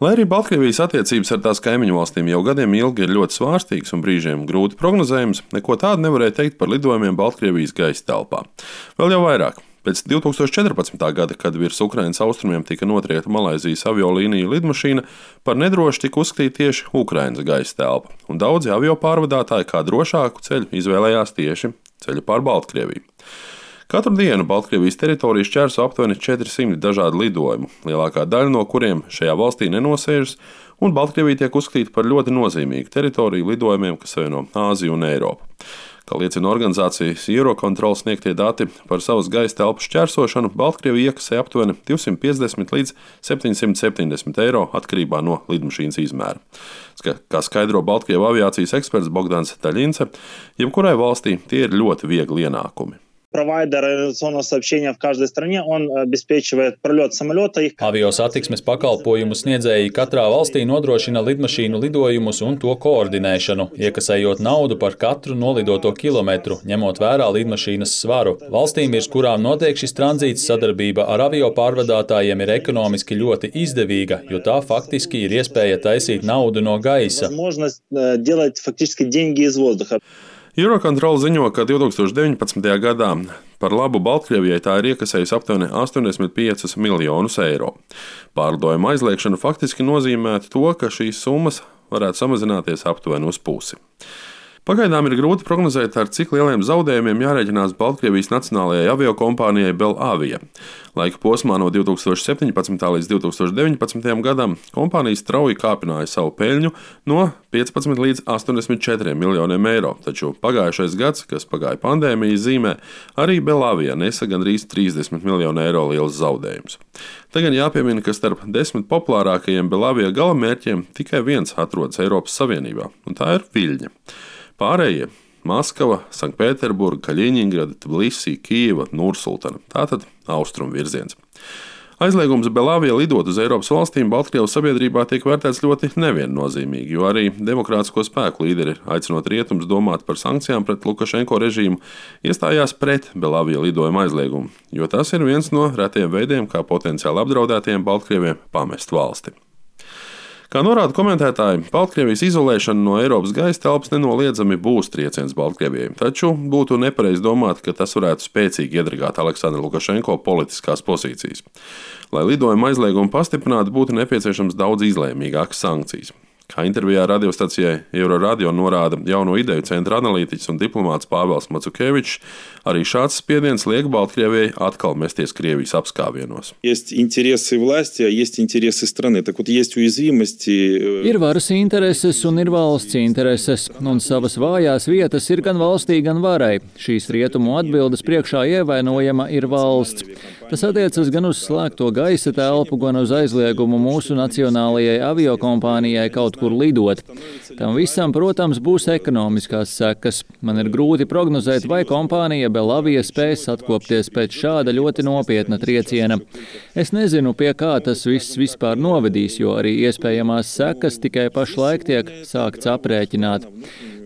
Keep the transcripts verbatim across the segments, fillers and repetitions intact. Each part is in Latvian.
Lai arī Baltkrievijas attiecības ar tās kaimiņu valstīm jau gadiem ilgi ir ļoti svārstīgas un brīžiem grūti prognozējams, neko tādu nevarēja teikt par lidojumiem Baltkrievijas gaisa telpā. Vēl jau vairāk. Pēc divi tūkstoši četrpadsmitā gada, kad virs Ukrainas austrumiem tika notriekta Malaizijas aviolīniju lidmašīna, par nedrošu tika uzskatīta tieši Ukrainas gaisa telpa, un daudzi avio pārvadātāji kā drošāku ceļu izvēlējās tieši ceļu pār Baltkrieviju. Katru dienu Baltkrievijas teritoriju šķērso aptuveni četri simti dažādu lidojumu, lielākā daļa no kuriem šajā valstī nenosēžas, un Baltkrievija tiek uzskatīta par ļoti nozīmīgu teritoriju lidojumiem, kas savieno Āziju un Eiropu. Kā liecina organizācijas Eurocontrol sniegtie dati par savas gaisa telpu šķērsošanu, Baltkrievija iekasēja aptuveni divsimt piecdesmit līdz septiņsimt septiņdesmit eiro atkarībā no lidmašīnas izmēra. Kā skaidro Baltkrievu aviācijas eksperts Bogdans Taļince, jebkurai valstī tie ir ļoti viegli ienākumi. Провайдер авиационного сообщения в каждой стране, он обеспечивает пролет самолета. Avio satiksmes pakalpojumu sniedzēji katrā valstī nodrošina lidmašīnu lidojumus un to koordinēšanu, iekasējot naudu par katru nolidoto kilometru, ņemot vērā lidmašīnas svaru. Valstīm, virs kurām notiek šis tranzīts, sadarbība ar avio pārvadātājiem ir ekonomiski ļoti izdevīga, jo tā faktiski ir iespēja taisīt naudu no gaisa. Eurocontrol ziņo, ka divi tūkstoši deviņpadsmitajā gadā par labu Baltkrievijai tā ir iekasējusi aptuveni astoņdesmit piecus miljonus eiro. Pārlidojuma aizliekšana faktiski nozīmētu to, ka šīs summas varētu samazināties aptuveni uz pusi. Pagaidām ir grūti prognozēt, ar cik lieliem zaudējumiem jārēķinās Baltkrievijas nacionālajai aviokompānijai Belavia. Laika posmā no divi tūkstoši septiņpadsmitā līdz divi tūkstoši deviņpadsmitajam gadam kompānija strauji kāpināja savu peļņu no piecpadsmit līdz astoņdesmit četriem miljoniem eiro, taču pagājušais gads, kas pagāja pandēmijas zīmē, arī Belavia nesa gandrīz trīsdesmit miljonu eiro liels zaudējums. Tagad jāpiemina, ka starp desmit populārākajiem Belavia galamērķiem tikai viens atrodas Eiropas Savienībā, un tā ir Viļņa. Pārējie – Maskava, Sanktpēterburga, Kaļiņingrada, Tbilisi, Kijeva, Nursultana – tātad austrumu virziens. Aizliegums Belavia lidot uz Eiropas valstīm Baltkrievu sabiedrībā tiek vērtēts ļoti neviennozīmīgi, jo arī demokrātisko spēku līderi, aicinot rietumus domāt par sankcijām pret Lukašenko režīmu, iestājās pret Belavia lidojuma aizliegumu, jo tas ir viens no retiem veidiem, kā potenciāli apdraudētiem Baltkrieviem pamest valsti. Kā norāda komentētāji, Baltkrievijas izolēšana no Eiropas gaisa telpas nenoliedzami būs trieciens Baltkrievijai, taču būtu nepareizi domāt, ka tas varētu spēcīgi iedragāt Aleksandra Lukašenko politiskās pozīcijas. Lai lidojuma aizliegumu pastiprinātu, būtu nepieciešams daudz izlēmīgākas sankcijas. Kā intervijā radiostacijai Euroradio norāda Jauno ideju centra analītiķis un diplomāts Pāvels Macukevičs, arī šāds spiediens liek Baltkrievijai atkal mesties Krievijas apskāvienos. Ir varas intereses un ir valsts intereses, un savas vājās vietas ir gan valstī, gan varai. Šīs rietumu atbildes priekšā ievainojama ir valsts. Tas attiecas gan uz slēgto gaisa telpu, gan uz aizliegumu mūsu nacionālajai aviokompānijai kaut kur lidot. Tam visam, protams, būs ekonomiskās sekas. Man ir grūti prognozēt, vai kompānija Belavia spēs atkopties pēc šāda ļoti nopietna trieciena. Es nezinu, pie kā tas viss vispār novedīs, jo arī iespējamās sekas tikai pašlaik tiek sākts aprēķināt.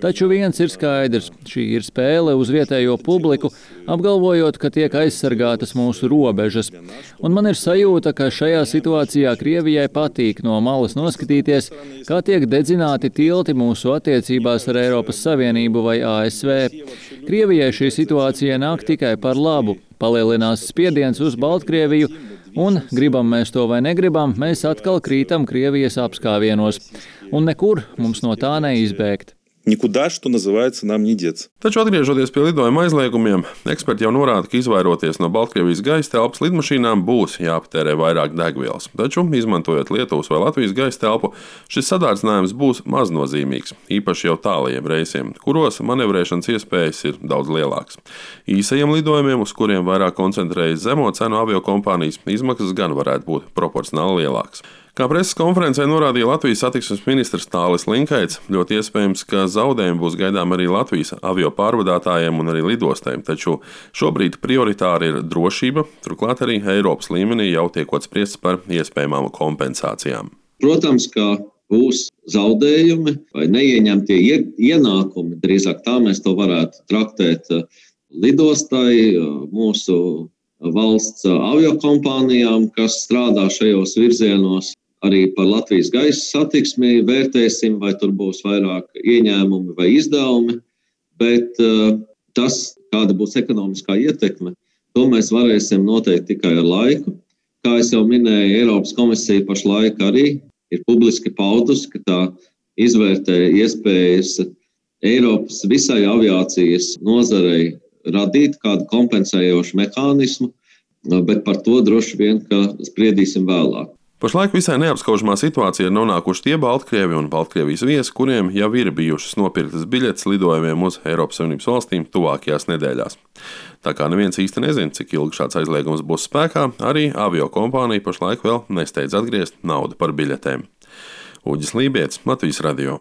Taču viens ir skaidrs, šī ir spēle uz vietējo publiku, apgalvojot, ka tiek aizsargātas mūsu robežas. Un man ir sajūta, ka šajā situācijā Krievijai patīk no malas noskatīties, kā tiek dedzināti tilti mūsu attiecībās ar Eiropas Savienību vai A S V. Krievijai šī situācija nāk tikai par labu, palielinās spiediens uz Baltkrieviju, un, gribam mēs to vai negribam, mēs atkal krītam Krievijas apskāvienos. Un nekur mums no tā neizbēgt. Никуда, что называется, нам не деться. Taču atgriežoties pie lidojuma aizliegumiem, eksperti jau norāda, ka izvairoties no Baltkrievijas gaisa telpas lidmašīnām būs jāpatērē vairāk degvielas. Taču, izmantojot Lietuvas vai Latvijas gaisa telpu, šis sadārdzinājums būs maznozīmīgs, īpaši jau tālajiem reisiem, kuros manevrēšanas iespējas ir daudz lielākas. Īsajiem lidojumiem, uz kuriem vairāk koncentrējas zemo cenu aviokompānijas, izmaksas gan varētu būt proporcionāli lielākas. Kā preses konferencē norādīja Latvijas satiksmes ministrs Tālis Linkaits, ļoti iespējams, ka zaudējumi būs gaidām arī Latvijas avio pārvadātājiem un arī lidostēm, taču šobrīd prioritāri ir drošība, turklāt arī Eiropas līmenī jau tiekot spriests par iespējamām kompensācijām. Protams, ka būs zaudējumi vai neieņemtie ienākumi, drīzāk tā mēs to varētu traktēt lidostai, mūsu valsts aviokompānijām, kas strādā šajos virzienos. arī par Latvijas gaisa satiksmi vērtēsim, vai tur būs vairāk ieņēmumi vai izdevumi, bet uh, tas, kāda būs ekonomiskā ietekme, to mēs varēsim noteikt tikai ar laiku. Kā es jau minēju, Eiropas komisija pašlaik arī ir publiski paudusi, ka tā izvērtē iespējas Eiropas visai aviācijas nozarei radīt kādu kompensējošu mehānismu, bet par to droši vien, ka spriedīsim vēlāk. Pašlaik visai neapskaužamā situācija ir nonākuši tie Baltkrievi un Baltkrievijas viesi, kuriem jau ir bijušas nopirktas biļetes lidojumiem uz Eiropas Savienības valstīm tuvākajās nedēļās. Tā kā neviens īsti nezina, cik ilgi šāds aizliegums būs spēkā, arī avio kompānija pašlaik vēl nesteidz atgriezt naudu par biļetēm. Uģis Lībietis, Latvijas radio.